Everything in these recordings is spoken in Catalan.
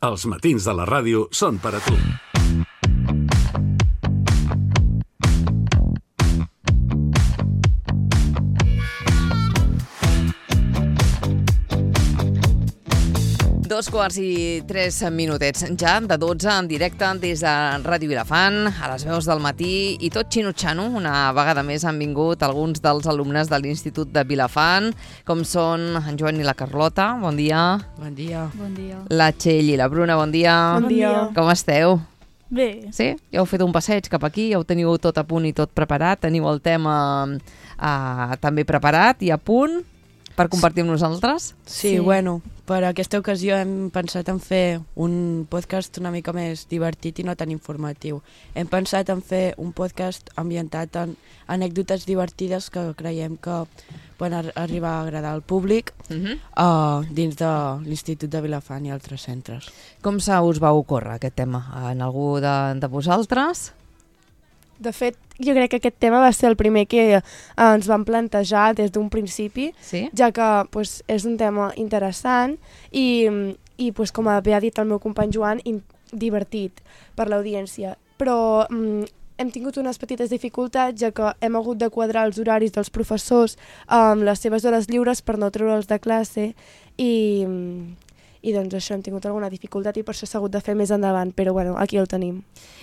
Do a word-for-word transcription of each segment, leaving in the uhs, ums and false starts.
Els matins de la ràdio són per a tu. Dos quarts i tres minutets ja, de dotze, en directe des de Ràdio Vilafant, a les veus del matí, i tot xinutxano. Una vegada més han vingut alguns dels alumnes de l'Institut de Vilafant, com són en Joan i la Carlota. Bon dia. Bon dia. Bon dia. La Txell i la Bruna, bon dia. Bon dia. Com esteu? Bé. Sí? Ja heu fet un passeig cap aquí, ja ho teniu tot a punt i tot preparat, teniu el tema eh, també preparat i a punt per compartir amb nosaltres? Sí, sí, bueno, per aquesta ocasió hem pensat en fer un podcast una mica més divertit i no tan informatiu. Hem pensat en fer un podcast ambientat en anècdotes divertides que creiem que poden arribar a agradar al públic uh-huh. uh, dins de l'Institut de Vilafant i altres centres. Com se us va ocórrer aquest tema? En algú de, de vosaltres? De fet, jo crec que aquest tema va ser el primer que eh, ens vam plantejar des d'un principi, sí? ja que pues, és un tema interessant i, i pues, com bé ha dit el meu company Joan, in, divertit per l'audiència. Però mm, hem tingut unes petites dificultats, ja que hem hagut de quadrar els horaris dels professors amb les seves hores lliures per no treure'ls de classe i... I doncs això, hem tingut alguna dificultat i per això s'ha hagut de fer més endavant, però bueno, aquí el tenim.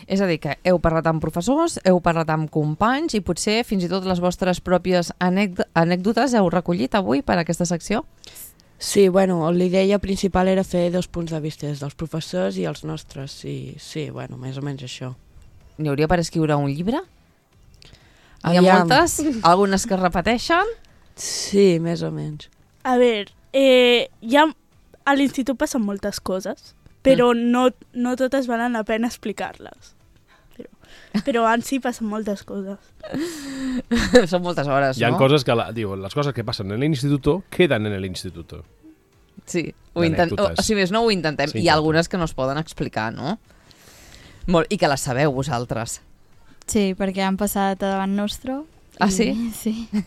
És a dir, que heu parlat amb professors, heu parlat amb companys i potser fins i tot les vostres pròpies anècdotes heu recollit avui per a aquesta secció? Sí, bueno, l'idea principal era fer dos punts de vista dels professors i els nostres, i sí, bueno, més o menys això. N'hi hauria per escriure un llibre? Hi ha Aviam. moltes? Algunes que es repeteixen? Sí, més o menys. A veure, eh, hi ha... a l'institut passen moltes coses, però mm. no, no totes valen la pena explicar-les. Però, però en si passen moltes coses. Són moltes hores, Hi ha no? coses que, la, digo, las cosas que pasan en el instituto quedan en el instituto. Sí, ho intent... o, o si més no ho intentem. Sí, Hi ha algunes que no es poden explicar, no? Molt, i que les sabeu vosaltres. Sí, perquè han passat a davant nostre. Ah, i... sí? Sí.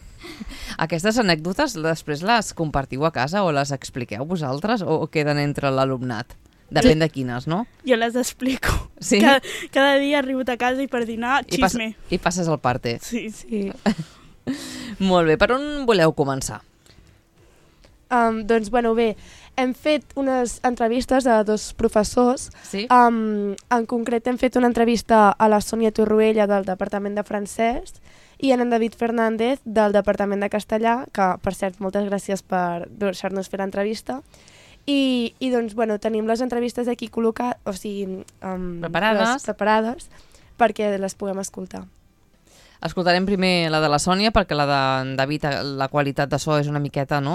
Aquestes anècdotes després les compartiu a casa o les expliqueu vosaltres o queden entre l'alumnat? Depèn de quines, no? Jo les explico. Sí? Cada, cada dia he arribat a casa i per dinar, I, pas, xisme. I passes el parte. Sí, sí. Molt bé, per on voleu començar? Um, doncs, bueno, bé, hem fet unes entrevistes a dos professors. Sí? Um, en concret hem fet una entrevista a la Sònia Torroella del Departament de Francès i en David Fernández del Departament de Castellà, que, per cert, moltes gràcies per deixar-nos fer l'entrevista. I, i doncs, bueno, tenim les entrevistes aquí col·locades, o sigui, um, preparades. Les preparades perquè les puguem escoltar. Escoltarem primer la de la Sònia, perquè la de David, la qualitat de so és una miqueta, no?,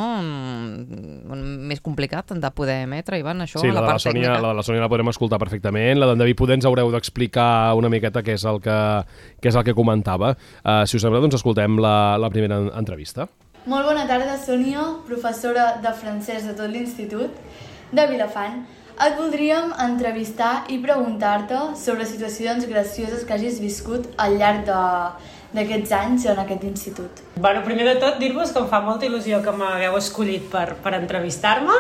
més complicat de poder emetre, Ivan, això, sí, la, la, la part de la Sònia, tècnica. la de la Sònia la podrem escoltar perfectament. La d'en David poder ens haureu d'explicar una miqueta què és el que, què és el que comentava. Uh, si us sembla, doncs escoltem la, la primera entrevista. Molt bona tarda, Sònia, professora de francès de tot l'Institut de Vilafant. Et voldríem entrevistar i preguntar-te sobre situacions gracioses que hagis viscut al llarg de, d'aquests anys en aquest institut. Bueno, primer de tot, dir-vos que em fa molta il·lusió que m'hagueu escollit per, per entrevistar-me.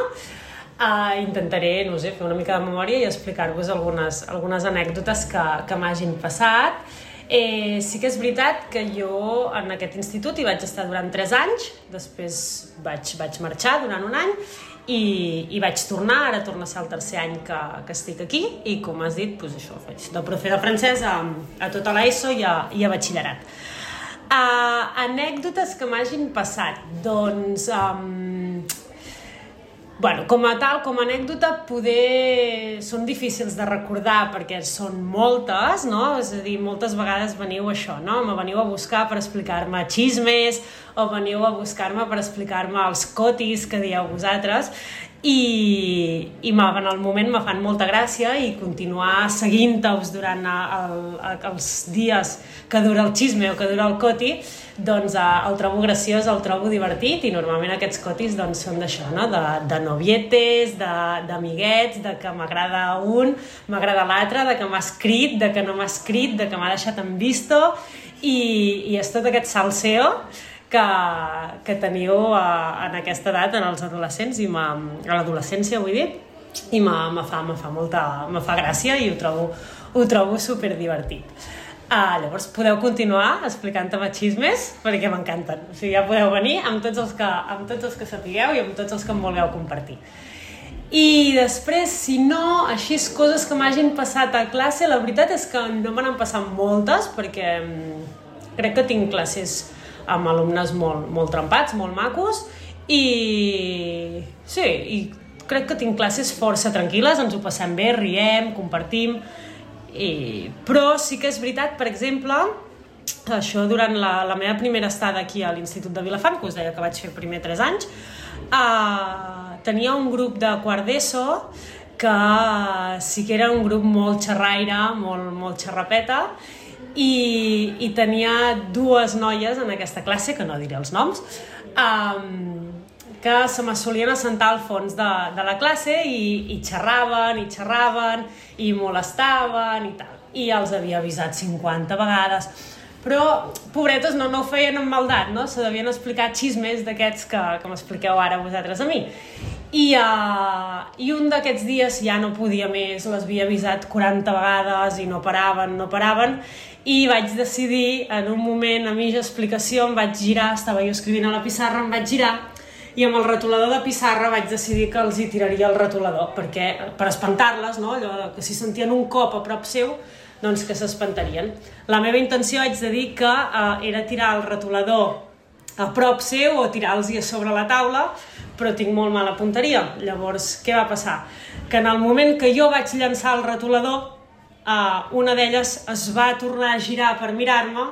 Uh, intentaré, no sé, fer una mica de memòria i explicar-vos algunes, algunes anècdotes que, que m'hagin passat. Eh, sí que és veritat que jo en aquest institut hi vaig estar durant tres anys, després vaig, vaig marxar durant un any i, i vaig tornar, ara torna a ser el tercer any que, que estic aquí i com has dit, doncs això, faig de profe de francès a, a tota l'ESO i a, i a batxillerat. Uh, anècdotes que m'hagin passat, doncs... Um, Bueno, com a tal, com a anècdota, poder... són difícils de recordar perquè són moltes, no? És a dir, moltes vegades veniu això, no? Me veniu a buscar per explicar-me xismes o veniu a buscar-me per explicar-me els cotis que dieu vosaltres i, i en el moment me fan molta gràcia i continuar seguint-vos durant el, els dies que dura el xisme o que dura el coti, doncs el trobo graciós, el trobo divertit i normalment aquests cotis doncs, són d'això, no? de, de novietes, d'amiguets, de, de que m'agrada un, m'agrada l'altre, de que m'ha escrit, de que no m'ha escrit, de que m'ha deixat en visto i, i és tot aquest salseo que, que teniu a, en aquesta edat, en els adolescents, i a l'adolescència, vull dir, i me, me, fa, me, fa molta, me fa gràcia i ho trobo, ho trobo superdivertit. Uh, llavors podeu continuar explicant-me xismes perquè m'encanten, o sigui, ja podeu venir amb tots, els que, amb tots els que sapigueu i amb tots els que em vulgueu compartir. I després, si no, així coses que m'hagin passat a classe, la veritat és que no me n'han passat moltes perquè crec que tinc classes amb alumnes molt, molt trempats, molt macos i sí, i crec que tinc classes força tranquil·les, ens ho passem bé, riem, compartim, i... però sí que és veritat, per exemple, això durant la, la meva primera estada aquí a l'Institut de Vilafant, que us deia que vaig fer primer tres anys, eh, tenia un grup de quart d'ESO que sí que era un grup molt xerraire, molt, molt xerrapeta, i, i tenia dues noies en aquesta classe, que no diré els noms, eh, que se me solien assentar al fons de, de la classe i, i xerraven, i xerraven, i molestaven i tal. I els havia avisat cinquanta vegades. Però, pobretes, no, no ho feien amb maldat, no? Se devien explicar xismes d'aquests que, que m'expliqueu ara vosaltres a mi. I, uh, i un d'aquests dies ja no podia més, les havia avisat quaranta vegades i no paraven, no paraven, i vaig decidir, en un moment a mitja explicació, em vaig girar, estava jo escrivint a la pissarra, em vaig girar, i amb el retolador de pissarra vaig decidir que els hi tiraria el retolador, perquè, per espantar-les, no? Allò que si sentien un cop a prop seu, doncs que s'espantarien. La meva intenció, haig de dir, que eh, era tirar el retolador a prop seu o tirar-los a sobre la taula, però tinc molt mala punteria. Llavors, què va passar? Que en el moment que jo vaig llançar el retolador, eh, una d'elles es va tornar a girar per mirar-me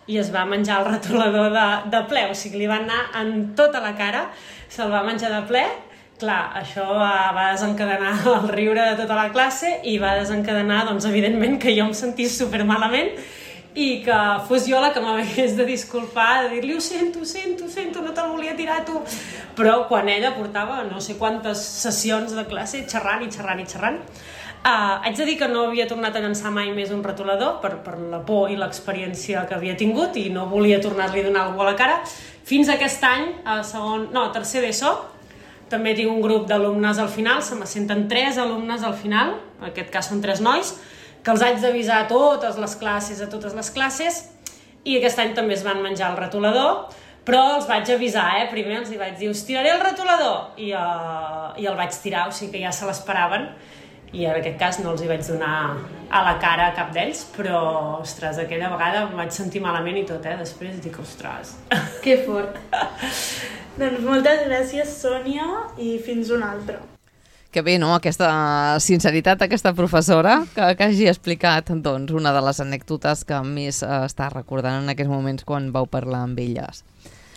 i es va menjar el retolador de, de ple, o sigui, li va anar en tota la cara, se'l va menjar de ple. Clar, això va, va desencadenar el riure de tota la classe i va desencadenar, doncs, evidentment, que jo em sentís supermalament i que fos jo la que m'hagués de disculpar, de dir-li, ho sento, ho sento, ho sento, no te'l volia tirar tu. Però quan ella portava no sé quantes sessions de classe xerrant i xerrant i xerrant, Uh, haig de dir que no havia tornat a llançar mai més un retolador per, per la por i l'experiència que havia tingut i no volia tornar-li a donar algú a la cara. Fins aquest any, a segon, no, a tercer d'ESO, també tinc un grup d'alumnes al final, se m'assenten tres alumnes al final, en aquest cas són tres nois, que els haig d'avisar a totes les classes, a totes les classes, i aquest any també es van menjar el retolador, però els vaig avisar, eh? Primer els vaig dir, us tiraré el retolador, i, uh, i el vaig tirar, o sigui que ja se l'esperaven, i en aquest cas no els hi vaig donar a la cara a cap d'ells, però, ostres, aquella vegada em vaig sentir malament i tot, eh? Després dic, ostres... Que fort! Doncs moltes gràcies, Sònia, i fins una altra. Que bé, no?, aquesta sinceritat d'aquesta professora que, que hagi explicat, doncs, una de les anècdotes que més eh, està recordant en aquests moments quan vau parlar amb elles.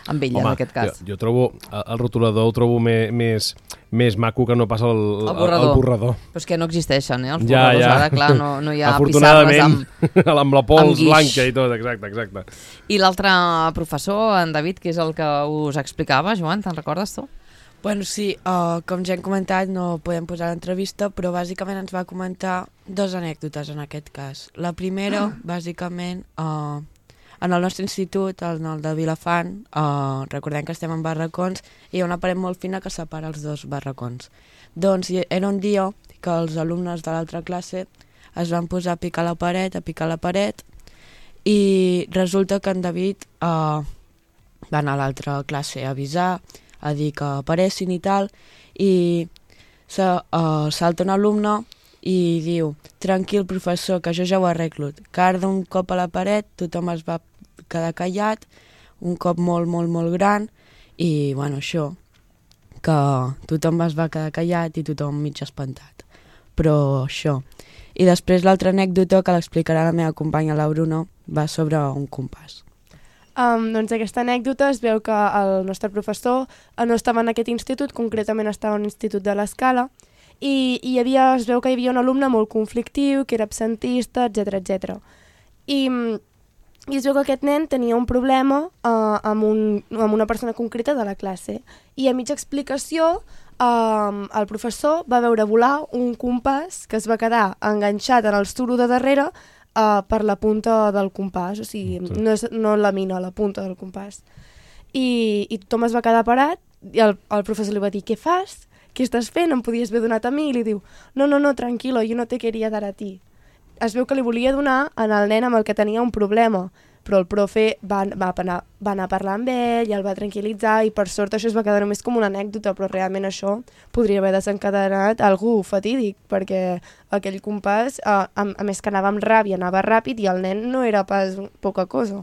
Amb ella, Home, en aquest cas. Jo, jo trobo, el rotulador el trobo més, més, més maco que no pas el, el, el, borrador. el borrador. Però és que no existeixen, eh, els ja, borradors. Ja. Ara, clar, no, no hi ha pissarres amb, amb la pols blanca i tot, exacte, exacte. I l'altre professor, en David, que és el que us explicava, Joan, te'n recordes tu? Bueno, sí, uh, com ja hem comentat, no podem posar l'entrevista, però bàsicament ens va comentar dues anècdotes en aquest cas. La primera, ah. bàsicament... Uh, En el nostre institut, en el de Vilafant, eh, recordem que estem en barracons, i hi ha una paret molt fina que separa els dos barracons. Doncs era un dia que els alumnes de l'altra classe es van posar a picar la paret, a picar la paret, i resulta que en David eh, va anar a l'altra classe a avisar, a dir que paressin i tal, i se, uh, salta un alumne i diu, tranquil professor, que jo ja ho arreglo. Carda un cop a la paret, tothom es va quedar callat, un cop molt, molt, molt gran, i, bueno, això, que tothom es va quedar callat i tothom mig espantat. Però això. I després l'altra anècdota, que l'explicarà la meva companya, la Bruno, va sobre un compàs. Um, doncs aquesta anècdota es veu que el nostre professor no estava en aquest institut, concretament estava en l'Institut de l'Escala, i, i hi havia, es veu que hi havia un alumne molt conflictiu, que era absentista, etcètera, etcètera. I, I es veu que aquest nen tenia un problema uh, amb, un, amb una persona concreta de la classe. I a mitja explicació, uh, el professor va veure volar un compàs que es va quedar enganxat en el suro de darrere uh, per la punta del compàs, o sigui, sí. no, és, no la mina, la punta del compàs. I, i tothom es va quedar parat, i el, el professor li va dir, què fas? què estàs fent? Em podies haver donat a mi? I li diu, no, no, no, tranquilo, yo no te quería dar a ti. Es veu que li volia donar al nen amb el que tenia un problema, però el profe va, va, anar, va anar a parlar amb ell i el va tranquil·litzar i per sort això es va quedar només com una anècdota, però realment això podria haver desencadenat algú fatídic, perquè aquell compàs, a, a, a més que anava amb ràbia, anava ràpid i el nen no era pas poca cosa.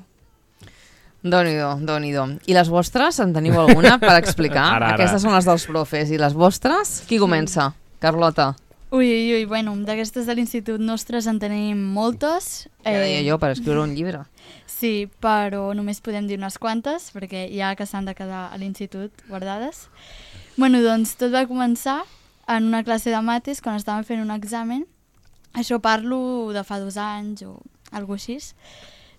Déu-n'hi-do, Déu-n'hi-do. I les vostres, en teniu alguna per explicar? Ara, ara. Aquestes són les dels profes. I les vostres? Qui comença? Carlota. Ui, ui, ui, bueno, d'aquestes de l'institut nostres en tenim moltes. Ja deia jo, per escriure un llibre. Sí, però només podem dir unes quantes, perquè ja que s'han de quedar a l'institut guardades. Bueno, doncs tot va començar en una classe de mates, quan estàvem fent un examen. Això parlo de fa dos anys o alguna cosa així.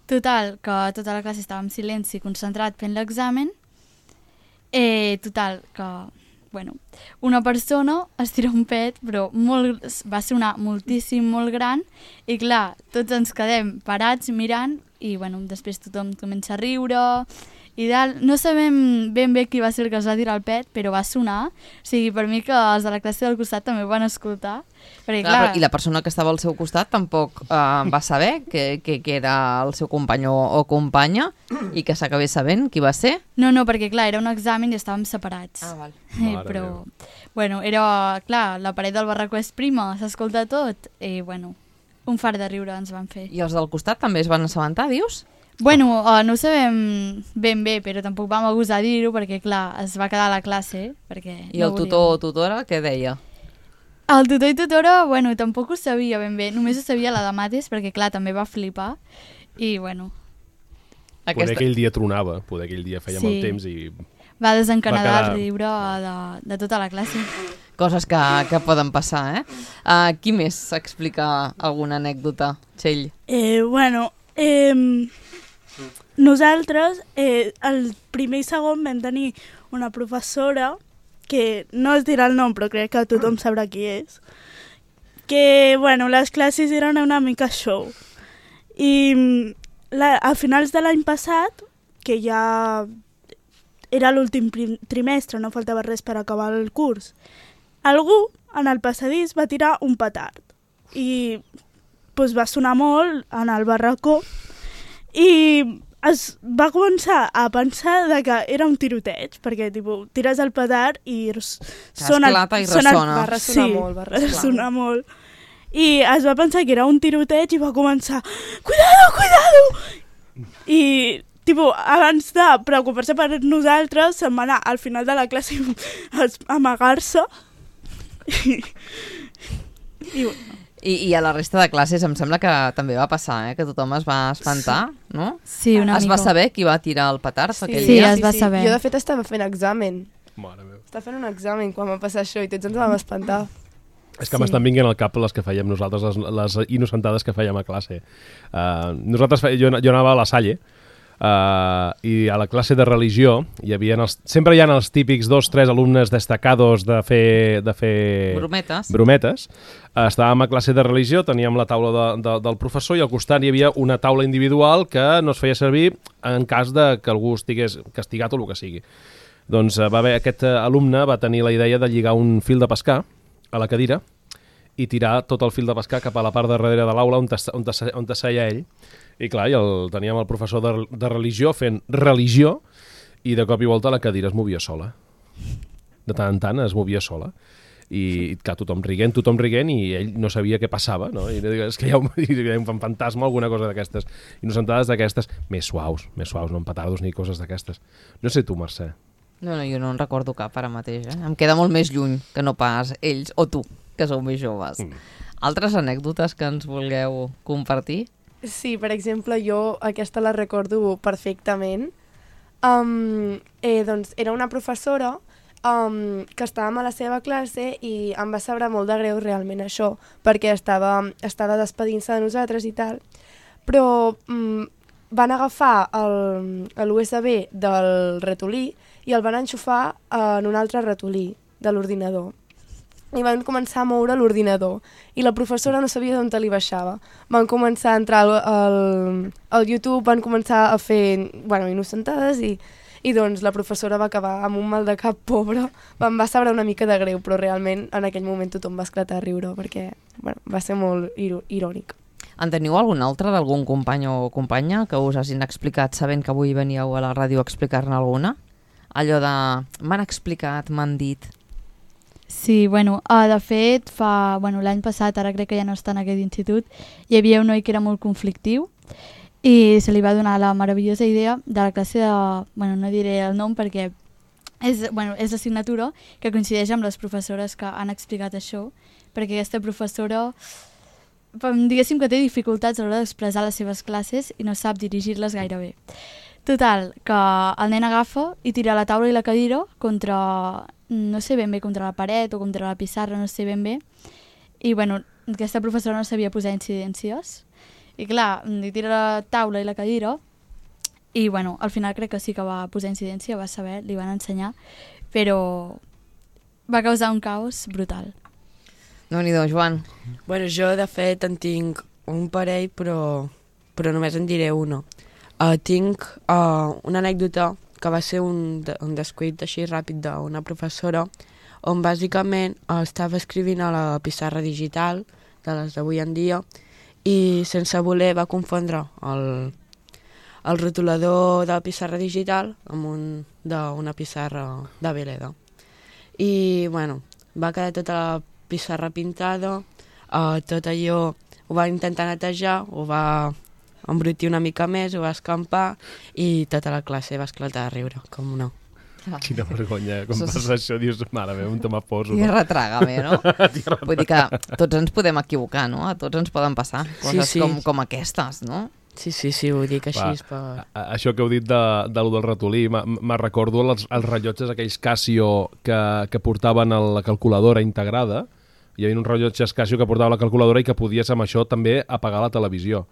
Total, que tota la classe estava en silenci, concentrat fent l'examen. Eh, total, que... Bueno, una persona es tira un pet, però molt, va sonar moltíssim, molt gran, i clar, tots ens quedem parats mirant, i bueno, després tothom comença a riure, i dalt, no sabem ben bé qui va ser el que es va tirar el pet, però va sonar, o sigui, per mi que els de la classe del costat també ho van escoltar, perquè clar... clar I la persona que estava al seu costat tampoc eh, va saber que, que, que era el seu company o, o companya, i que s'acabés sabent qui va ser? No, no, perquè clar, era un examen i estàvem separats. Ah, val. Eh, però, bueno, era, clar, la paret del barracó és prima, s'escolta tot, i bueno, un fart de riure ens van fer. I els del costat també es van assabentar, dius? Bueno, uh, no ho sabem ben bé, però tampoc vam gosar dir-ho perquè, clar, es va quedar a la classe. Perquè I no el tutor o tutora què deia? El tutor i tutora, bueno, tampoc ho sabia ben bé. Només ho sabia la de mates perquè, clar, també va flipar. I, bueno... Aquesta... Poder aquell dia tronava, poder aquell dia feia sí. Mal temps i... Va desencanadar va quedar... el riure de, de tota la classe. Coses que, que poden passar, eh? Uh, qui més s'explica alguna anècdota, Txell? Eh, bueno, eh... Nosaltres, eh, el primer i segon vam tenir una professora, que no es dirà el nom, però crec que tothom sabrà qui és, que, bueno, les classes eren una mica show. I la, a finals de l'any passat, que ja era l'últim trimestre, no faltava res per acabar el curs, algú en el passadís va tirar un petard i pues, va sonar molt en el barracó i es va començar a pensar de que era un tiroteig, perquè tipus, tires el petard i sona... Esclata i ressona. Sona, va ressonar sí, molt, va ressonar. ressonar molt. I es va pensar que era un tiroteig i va començar cuidado, cuidado! I tipus, abans de preocupar-se per nosaltres, se'n va anar al final de la classe a amagar-se. I, i bueno. I, I a la resta de classes em sembla que també va passar, eh? Que tothom es va espantar, sí. No? Sí, una es mica. va saber qui va tirar el petard sí. aquell sí, dia? es va saber. Jo, de fet, estava fent examen. Mare meva. Estava fent un examen quan va passar això i tots ens vam espantar. És que Sí. m'estan vinguent al cap les que fèiem nosaltres, les, les innocentades que fèiem a classe. Uh, nosaltres, fe, jo, jo anava a la Salle, Uh, i a la classe de religió hi havia els, sempre hi ha els típics dos, tres alumnes destacados de fer, de fer brometes, brometes. Uh, estàvem a classe de religió, teníem la taula de, de, del professor i al costat hi havia una taula individual que no es feia servir en cas de que algú estigués castigat o el que sigui. Doncs uh, va haver, aquest uh, alumne va tenir la idea de lligar un fil de pescar a la cadira i tirar tot el fil de pescar cap a la part de darrere de l'aula on, on, on seia ell. I clar, i el, teníem el professor de, de religió fent religió i de cop i volta la cadira es movia sola. De tant en tant es movia sola. I clar, tothom riguent, tothom riguent i ell no sabia què passava, no? I és que hi ha un, hi ha un fantasma, alguna cosa d'aquestes. Innocentades d'aquestes, més suaus, més suaus, no en petardos ni coses d'aquestes. No sé tu, Mercè. No, no, jo no en recordo cap ara mateix, eh? Em queda molt més lluny que no pas ells o tu, que sou més joves. Mm. Altres anècdotes que ens vulgueu compartir? Sí, per exemple, jo aquesta la recordo perfectament. Um, eh, doncs era una professora um, que estàvem a la seva classe i em va saber molt de greu realment això, perquè estava, estava despedint-se de nosaltres i tal, però um, van agafar l'U S B del ratolí i el van enxufar en un altre ratolí de l'ordinador. I van començar a moure l'ordinador i la professora no sabia d'on li baixava. Van començar a entrar al, al, al YouTube, van començar a fer, bueno, innocentades i, i doncs la professora va acabar amb un mal de cap pobre, em va saber una mica de greu, però realment en aquell moment tothom va esclatar a riure perquè bueno, va ser molt ir irònic. En teniu algun altre d'algun company o companya que us hagin explicat sabent que avui veníeu a la ràdio a explicar-ne alguna? Allò de m'han explicat, m'han dit... Sí, bueno, uh, de fet, fa bueno, l'any passat, ara crec que ja no està en aquest institut, hi havia un noi que era molt conflictiu i se li va donar la meravellosa idea de la classe de... Bueno, no diré el nom perquè és, bueno, és l'assignatura que coincideix amb les professores que han explicat això, perquè aquesta professora, diguéssim que té dificultats a l'hora d'expressar les seves classes i no sap dirigir-les gaire bé. Total, que el nen agafa i tira la taula i la cadira contra... no sé ben bé, contra la paret o contra la pissarra, no sé ben bé. I, bueno, aquesta professora no sabia posar incidències. I, clar, li tira la taula i la cadira i, bueno, al final crec que sí que va posar incidència, va saber, li van ensenyar, però va causar un caos brutal. Déu-n'hi-do, Joan. Bueno, jo, de fet, en tinc un parell, però, però només en diré una. Uh, tinc uh, una anècdota que va ser un, un descuit així ràpid d'una professora on bàsicament uh, estava escrivint a la pissarra digital de les d'avui en dia i sense voler va confondre el, el rotulador de la pissarra digital amb un d'una pissarra de Veleda. I bueno, va quedar tota la pissarra pintada, uh, tot allò ho va intentar netejar, ho va embrutir una mica més, ho va escampar i tota la classe va esclatar a riure, com no. Quina vergonya, com passa això, dius, mare meva, on te m'aposo. Tierra trágame, no? Vull dir que tots ens podem equivocar, no? A tots ens poden passar coses sí, sí. Com, com aquestes, no? Sí, sí, sí, ho dic així. Va, per... a, això que heu dit de, de lo del ratolí, me recordo els, els rellotges aquells Casio que, que portaven a la calculadora integrada. Hi havia uns rellotges Casio que portava la calculadora i que podies amb això també apagar la televisió.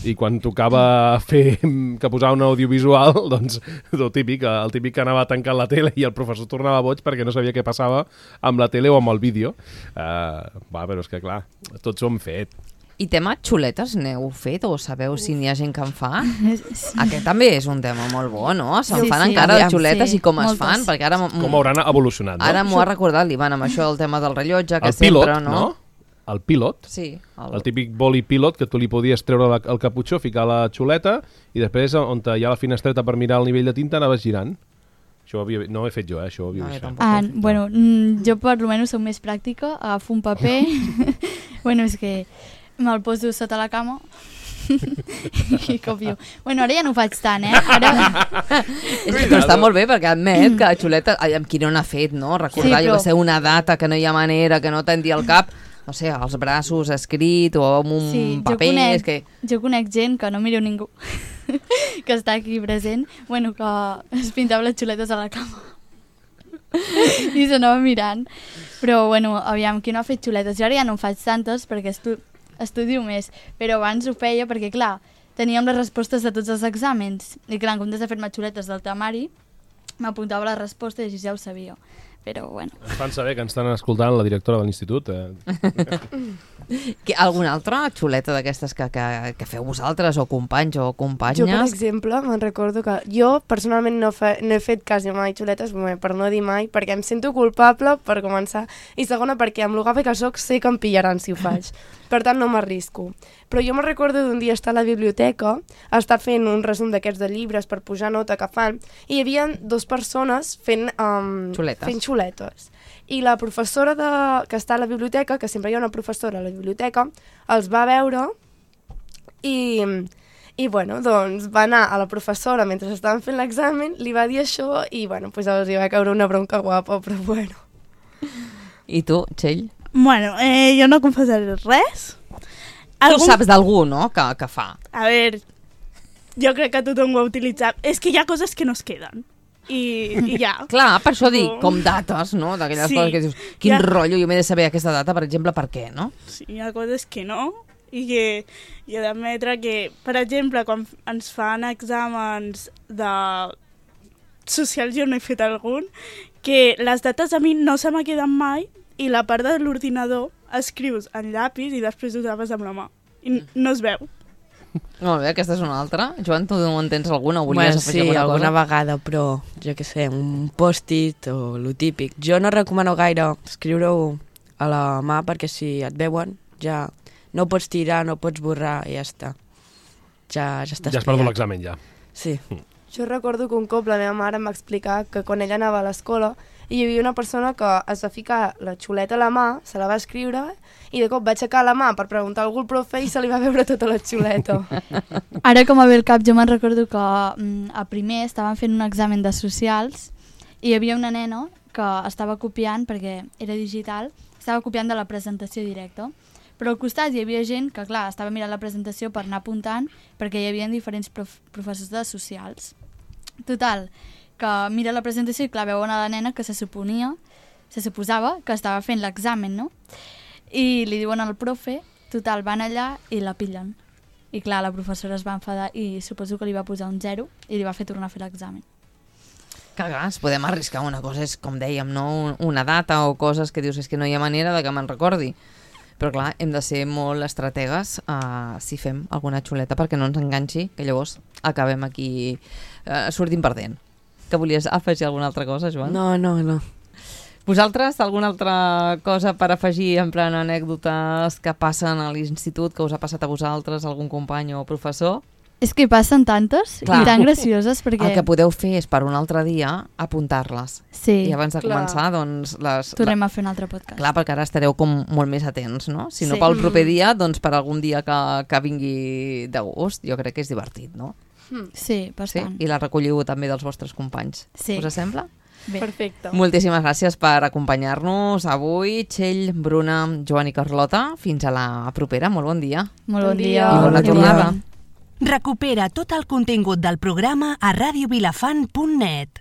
I quan tocava fer que posar un audiovisual, doncs el típic, el típic que anava tancant la tele i el professor tornava boig perquè no sabia què passava amb la tele o amb el vídeo. Uh, va, però és que clar, tots ho hem fet. I tema xuletes n'heu fet o sabeu si n'hi ha gent que en fa? Sí. Aquest també és un tema molt bo, no? Se'n sí, fan sí, encara de xuletes sí, i com moltes. Es fan? Perquè ara com hauran evolucionat, no? Ara m'ho ha recordat l'Ivan amb això del tema del rellotge, que el pilot, sempre, no? no? El pilot, sí, el... el típic boli pilot que tu li podies treure la, el caputxó, ficar la xuleta i després on hi ha la finestreta per mirar el nivell de tinta anaves girant. Això ho havia... No ho he fet jo, eh? Això ho havia no, ah, bueno, jo per almenys soc més pràctica, agafo un paper, bueno, és que me'l poso sota la cama i copio. Bueno, ara ja no ho faig tant, eh? Ara... és que però està molt bé perquè admet que la xuleta, amb qui no n'ha fet, no? Recordar, sí, però... va ser una data que no hi ha manera, que no tendia el cap, no sé, als braços escrit o amb un sí, paper. Jo conec, és que... jo conec gent que no mireu ningú que està aquí present, bueno, que es pintava les xuletes a la cama i s'anava mirant. Però, bueno, aviam, qui no ha fet xuletes? Jo ara ja no en faig tantes perquè estu estudio més, però abans ho feia perquè, clar, teníem les respostes de tots els exàmens i, clar, en comptes de fer-me xuletes del temari, m'apuntava la resposta i així ja ho sabia. Però, bueno. Ens fan saber que ens estan escoltant la directora de l'institut. Eh? Alguna altra xuleta d'aquestes que, que, que feu vosaltres, o companys o companyes? Jo, per exemple, me'n recordo que jo personalment no, fe, no he fet quasi mai xuletes, per no dir mai, perquè em sento culpable, per començar, i segona, perquè amb lo gafe que soc sé que em pillaran si ho faig. Per tant, no m'arrisco. Però jo me'n recordo d'un dia estar a la biblioteca, estar fent un resum d'aquests de llibres per pujar nota que fan, i hi havia dues persones fent, um, xuletes. fent xuletes. I la professora de, que està a la biblioteca, que sempre hi ha una professora a la biblioteca, els va veure i, i bueno, doncs va anar a la professora mentre estaven fent l'examen, li va dir això i bueno, pues els hi va caure una bronca guapa, però bueno. I tu, Txell? Bueno, eh, jo no confessaré res. Algun... Tu saps d'algú, no?, que, que fa. A veure, jo crec que tothom ho ha utilitzat. És que hi ha coses que no es queden. I, i ja. Clar, per això dic, com dates, no?, d'aquelles sí. coses que dius, quin ha... rotllo, jo m'he de saber aquesta data, per exemple, per què, no? Sí, hi ha coses que no, i que hi ha d'admetre que, per exemple, quan ens fan exàmens de socials, jo no he fet algun, que les dates a mi no se m'ha quedat mai, i la part de l'ordinador escrius en llapis i després ho tapes amb la mà. I no es veu. Molt bé, aquesta és una altra. Joan, tu en tens alguna? O Bueno, volies afegir sí, alguna alguna cosa? vegada, però jo què sé, un post-it o lo típic. Jo no recomano gaire escriure-ho a la mà perquè si et veuen ja no ho pots tirar, no ho pots borrar i ja està. Ja, ja està Ja has perdut estudiat. l'examen, ja. Sí. Jo recordo que un cop la meva mare em va explicar que quan ella anava a l'escola hi havia una persona que es va ficar la xuleta a la mà, se la va escriure i de cop va aixecar la mà per preguntar a algú al profe i se li va veure tota la xuleta. Ara, com a ve el cap, jo me'n recordo que mm, a primer estaven fent un examen de socials i hi havia una nena que estava copiant, perquè era digital, estava copiant de la presentació directa. Però al costat hi havia gent que, clar, estava mirant la presentació per anar apuntant perquè hi havia diferents prof professors de socials. Total, que mira la presentació i, clar, veuen a la nena que se suponia, se suposava que estava fent l'examen, no? I li diuen al profe, total, van allà i la pillen. I, clar, la professora es va enfadar i suposo que li va posar un zero i li va fer tornar a fer l'examen. Que a vegades podem arriscar una cosa, és com dèiem, no? Una data o coses que dius, és que no hi ha manera de que me'n recordi. Però clar, hem de ser molt estrategues uh, si fem alguna xuleta perquè no ens enganxi, que llavors acabem aquí uh, sortint perdent. Que volies afegir alguna altra cosa, Joan? No, no, no. Vosaltres, alguna altra cosa per afegir en plan anècdotes que passen a l'institut, que us ha passat a vosaltres, algun company o professor? És que passen tantes Clar. i tan gracioses perquè... El que podeu fer és per un altre dia apuntar-les. Sí, I abans de clar. començar, doncs... Les, tornem a fer un altre podcast. Clar, perquè ara estareu com molt més atents, no? Si no Sí. pel proper dia, doncs per algun dia que, que vingui de gust, jo crec que és divertit, no? Sí, Sí? bastant. I la recolliu també dels vostres companys. Sí. Us sembla? Bé. Perfecte. Moltíssimes gràcies per acompanyar-nos avui, Txell, Bruna, Joan i Carlota. Fins a la propera. Molt bon dia. Molt bon Bon dia. dia. I bona tornada. Recupera tot el contingut del programa a radio vilafant punt net.